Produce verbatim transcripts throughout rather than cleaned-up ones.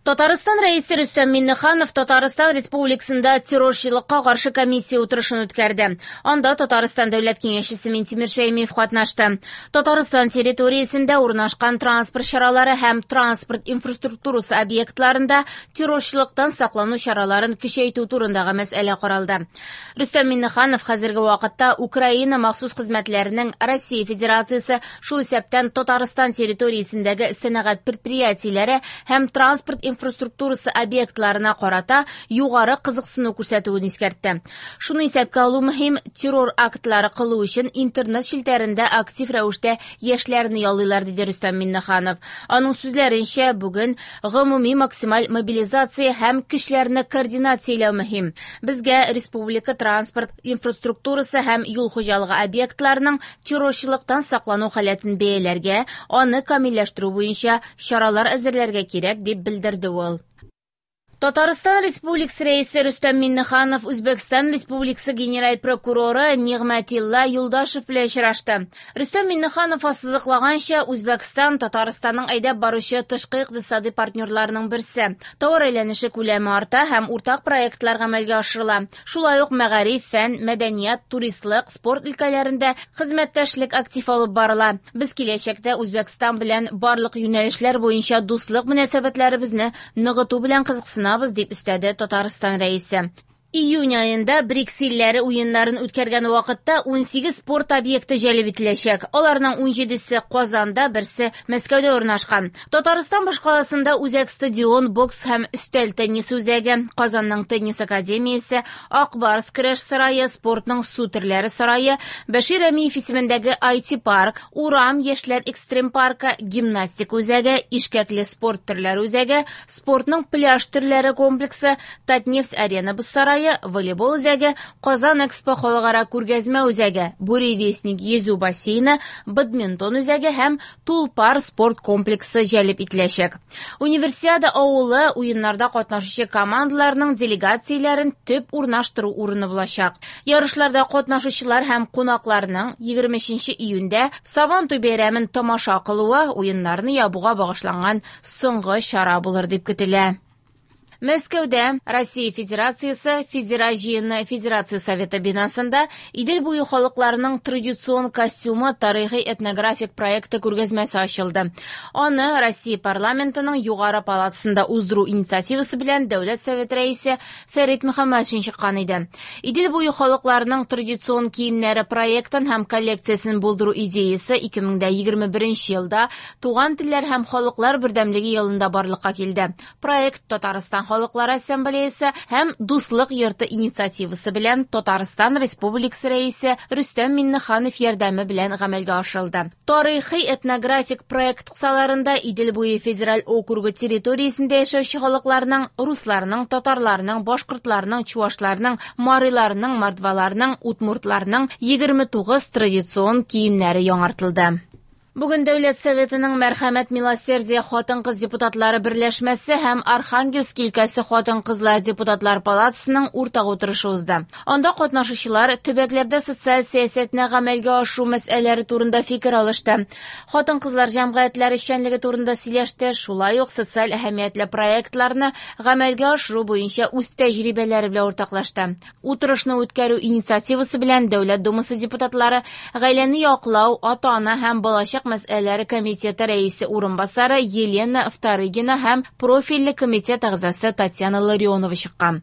Татарстан Рәисе Рөстәм Миңнеханов Татарстан Республикасында террорчылыкка каршы комиссия утырышын үткәрде. Анда Татарстан Дәүләт Киңәшчесе Минтимер Шәймиев катнашты. Татарстан территориясендә урнашкан транспорт чаралары һәм транспорт инфраструктурасы объектларында террорчылыктан саклану чараларын көчәйтү турындагы мәсьәлә каралды. Рөстәм Миңнеханов хәзерге вакытта Украина махсус хезмәтләренең Россия Федерациясе, шул исәптән Татарстан территориясендәге сәнәгать предприятиеләре һәм транспорт инфраструктурасы объектларына карата югары кызыксыну күрсәтүен искәртте. Шуны исәпкә алу мөһим, террор актлары кылу өчен интернет челтәрендә актив рәвештә яшьләрне яллыйлар, диде Рөстәм Миңнеханов. Аның сүзләренчә, бүген гомуми максималь мобилизация һәм көчләрне координацияләү мөһим. Безгә республика транспорт инфраструктурасы һәм юл хуҗалыгы объектларының террорчылыктан саклану халәтен бәяләргә, аны камилләштерү буенча чаралар әзерләргә кирәк, дип белдерде ул. Татарстан Республикасы Рәисе Рөстәм Миңнеханов Үзбәкстан Республикасы Генераль прокуроры Нигъмәтилла Юлдашев белән очрашты. Рөстәм Миңнеханов ассызыклаганча, Үзбәкстан Татарстанның әйдәп баручы тышкы икътисади партнерларының берсе. Товар әйләнеше күләме арта һәм уртак проектлар гамәлгә ашырыла. Шулай ук мәгариф, фән, мәдәният, туристлык, спорт өлкәләрендә хезмәттәшлек актив алып барыла. Без киләчәктә Үзбәкстан белән барлык юнәлешләр буенча дуслык мөнәсәбәтләребезне ныгыту белән кызыксынабыз, дип өстәде Татарстан Рәисе. Июнь аенда БРИКС илләре уеннарын үткәргән вакытта ун сигез спорт объекты җәлеп ителәчәк. Аларның ун җидесе Казанда, берсе Мәскәүдә урнашкан. Татарстан башкаласында үзәк стадион, бокс һәм өстәл теннисы үзәге, Казанның теннис академиясе, Ак Барс көрәш сарае, спортның су төрләре сарае, Бәшир Рәмиев исемендәге ай ти парк, Урам яшьләр экстрем паркы, гимнастика үзәге, ишкәкле спорт төрләре үзәге, спортның пляж төрләре комплексы, Татнефть арена боз сарае, волейбол үзәге, Казан Экспо халыкара күргәзмә үзәге, Буревестник йөзү бассейны, бадминтон үзәге һәм Тулпар спорт комплексы җәлеп ителәчәк. Универсиада авылы уеннарда катнашучы командаларның делегацияләрен төп урнаштыру урыны булачак. Ярышларда катнашучылар һәм кунакларның егерме өченче июньдә Сабантуй бәйрәмен тамаша кылуы уеннарны ябуга багышланган соңгы чара булыр дип көтелә. Мәскәүдә Россия Федерациясе Федераль җыены Федерация Советы бинасында Идел буе халыкларының традицион костюмы тарихи этнографик проекты күргәзмәсе ачылды. Аны Россия парламентының югары палатасында уздыру инициативасы белән Дәүләт Советы рәисе Фәрит Мөхәммәтшин чыккан иде. Идел буе халыкларының традицион киемнәре проектын һәм коллекциясен булдыру идеясы ике мең дә егерме беренче елда Туган телләр һәм халыклар бердәмлеге елында барлыкка килде. Проект Татарстан Халыклар Ассамблеясы һәм Дуслык йорты инициативасы белән Татарстан Республикасы Рәисе Рөстәм Миңнеханов ярдәме белән гамәлгә ашырылды. Тарихи этнографик проект кысаларында Идел буе федераль округы территориясендә яшәүче халыкларның, русларның, татарларның, башкортларның, чуашларның, мариларның, мордваларның, удмуртларның егерме тугыз традицион киемнәре яңартылды. Бүген Дәүләт Советының Мәрхәмәт Милосердие хатын-кыз депутатлары берләшмәсе һәм Архангельск өлкәсе хатын-кызлар депутатлар палатасының уртак утырышы узды. Анда катнашучылар төбәкләрдә социаль сәясәтне гамәлгә ашыру мәсьәләләре турында фикер алышты. Хатын-кызлар җәмгыятьләре эшчәнлеге турында сөйләште, шулай ук социаль әһәмиятле проектларны гамәлгә ашыру буенча үз тәҗрибәләре белән уртаклашты. Утырышны үткәрү инициативасы белән Дәүләт Думасы депутатлары гаиләне яклау, ата-ана һәм балачак мәсьәләләре комитеты рәисе урынбасары Елена Вторыгина һәм профильле комитет әгъзасы Татьяна Ларионова чыккан.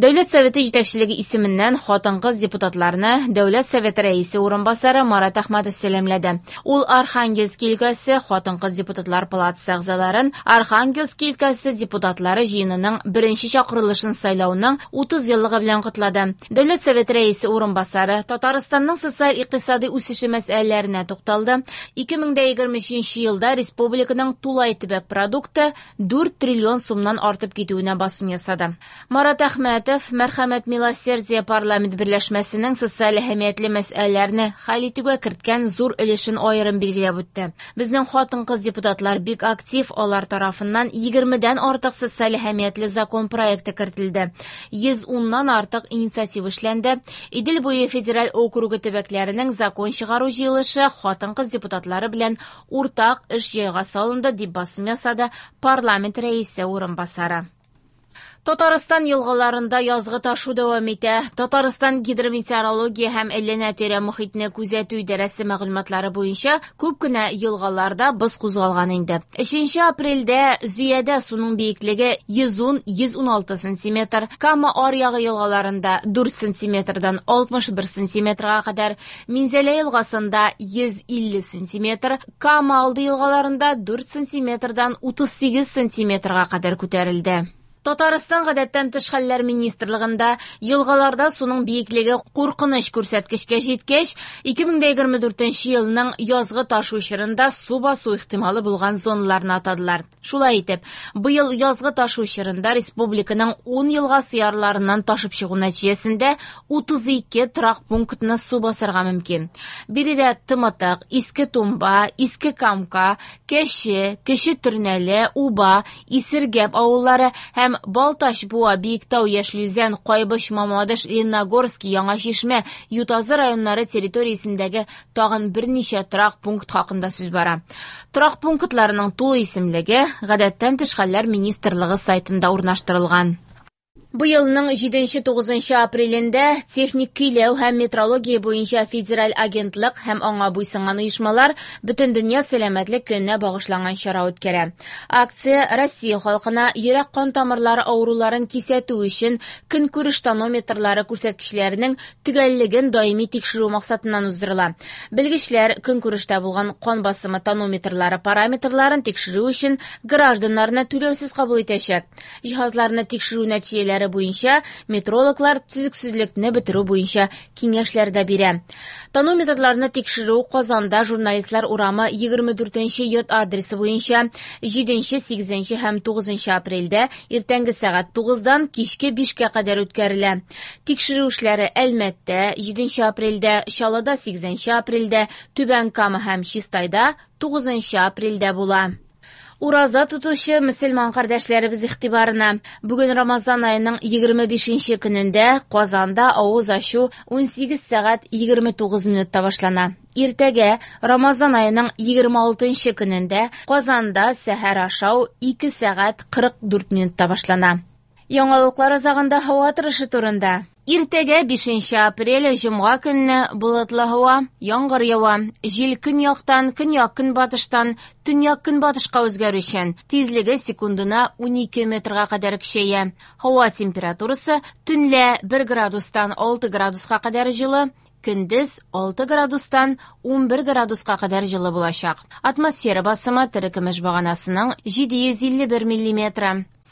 Дәүләт Советы җитәкчелеге исеменнән хатын-кыз депутатларны Дәүләт Советы рәисе урынбасары Марат Әхмәтов сәламләде. Ул Архангельск өлкәсе хатын-кыз депутатлар палатасы әгъзаларын Архангельск өлкәсе депутатлары җыенының беренче чакырылышын сайлауның утыз еллыгы белән котлады. Дәүләт Советы рәисе урынбасары Татарстанның социаль-икътисади үсеше мәсьәләләренә тукталды. Ике мең дә егерме өченче елда республиканың тулай төбәк продукты дүрт триллион сумнан артып китүенә басым ясады. Марат Әхмәтов Мәрхәмәт Милосердие парламент берләшмәсенең социаль әһәмиятле мәсьәләләрне хәл итүгә керткән зур өлешен аерым билгеләп үтте. Безнең хатын-кыз депутатлар бик актив, алар тарафыннан егермедән артык социаль әһәмиятле закон проекты кертелде. Йөз уннан артык инициатива эшләнде. Идел буе федераль округы төбәкләренең закон чыгару җыелышы хатын-кыз депутатлары белән уртак эш җайга салынды, дип басым ясады парламент рәисе урынбасары. Татарстан елгаларында язгы ташу дәвам итә. Татарстан гидрометеорология һәм әйләнә-тирә мохитне күзәтү идарәсе мәгълүматлары буенча күп кенә елгаларда боз кузгалган инде. Өченче апрельдә Зөядә суның биеклеге йөз ун - йөз уналты сантиметр, Кама аръягы елгаларында дүрт сантиметрдан алтмыш бер сантиметрга кадәр, Минзәлә елгасында йөз илле сантиметр, Кама алды елгаларында дүрт сантиметрдан утыз сигез сантиметрга кадәр күтәрелде. Татарстан гадәттән тыш хәлләр министрлыгында елгаларда суның биеклеге куркыныч күрсәткечкә җиткәч, ике мең дә егерме дүртенче елның язгы ташу чорында су басу ихтималы булган зоналарны атадылар. Шулай итеп, быел язгы ташу чорында республиканың ун елгасы ярларыннан ташып чыгу нәтиҗәсендә утыз ике торак пунктны су басарга мөмкин. Биредә Тымытык, Иске Тумба, Иске Камка, Кәше, Кече Төрнәле, Уба, Исергәп авыллары һәм Балтач, Буа, Биектау, Яшел Үзән, Кайбыч, Мамадыш, Лениногорск, Яңа Чишмә, Ютазы районнары территориясендәге тагын берничә торак пункт хакында сүз бара. Торак пунктларының тулы исемлеге Гадәттән тыш хәлләр министрлыгы сайтында урнаштырылган. Быелның җиденче тугызынчы апрелендә техник көйләү һәм метрология буенча федераль агентлык һәм аңа буйсынган оешмалар Бөтендөнья сәламәтлек көненә багышланган чара үткәрә. Акция Россия халкына йөрәк-кан тамырлары авыруларын кисәтү өчен көнкүреш тонометрлары күрсәткечләренең төгәллеген даими тикшерү максатыннан уздырыла. Белгечләр көнкүрештә булган кан басымы тонометрлары параметрларын тикшерү өчен гражданнарны түләүсез кабул итәчәк. Җиһазларны тикшерү нәтиҗәләре буенча метрологлар төзексезлекне бетерү буенча киңәшләр дә бирә. Тонометрларны тикшерү Казанда Журналистлар урамы егерме дүртенче йорт адресы буенча җиденче, сигезенче һәм тугызынчы апрельдә иртәнге сәгать тугыздан кичке бишкә кадәр үткәрелә. Тикшерү эшләре Әлмәттә җиденче апрельдә, Чаллыда сигезенче апрельдә, Түбән Кама һәм Чистайда тугызынчы апрельдә була. Ураза тотучы мөселман кардәшләребез игътибарына. Бүген Рамазан аеның егерме бишенче көнендә Казанда авыз ачу унсигез сәгать егерме тугыз минутта башлана. Иртәгә Рамазан аеның егерме алтынчы көнендә Казанда сәхәр ашау ике сәгать кырык дүрт минутта башлана. Яңалыклар азагында һава торышы турында. Иртәгә бишенче апрель җомга көнне болытлы һава, яңгыр ява, җил көньяктан, көньяк-көнбатыштан, төньяк-көнбатышка үзгәрүчән, тизлеге секундына унике метрга кадәр көчәя. Һава температурасы төнлә бер градустан алты градуска кадәр җылы, көндез алты градустан унбер градуска кадәр җылы булачак. Атмосфера басымы терекөмеш баганасының җиде йөз илле бер миллиметры.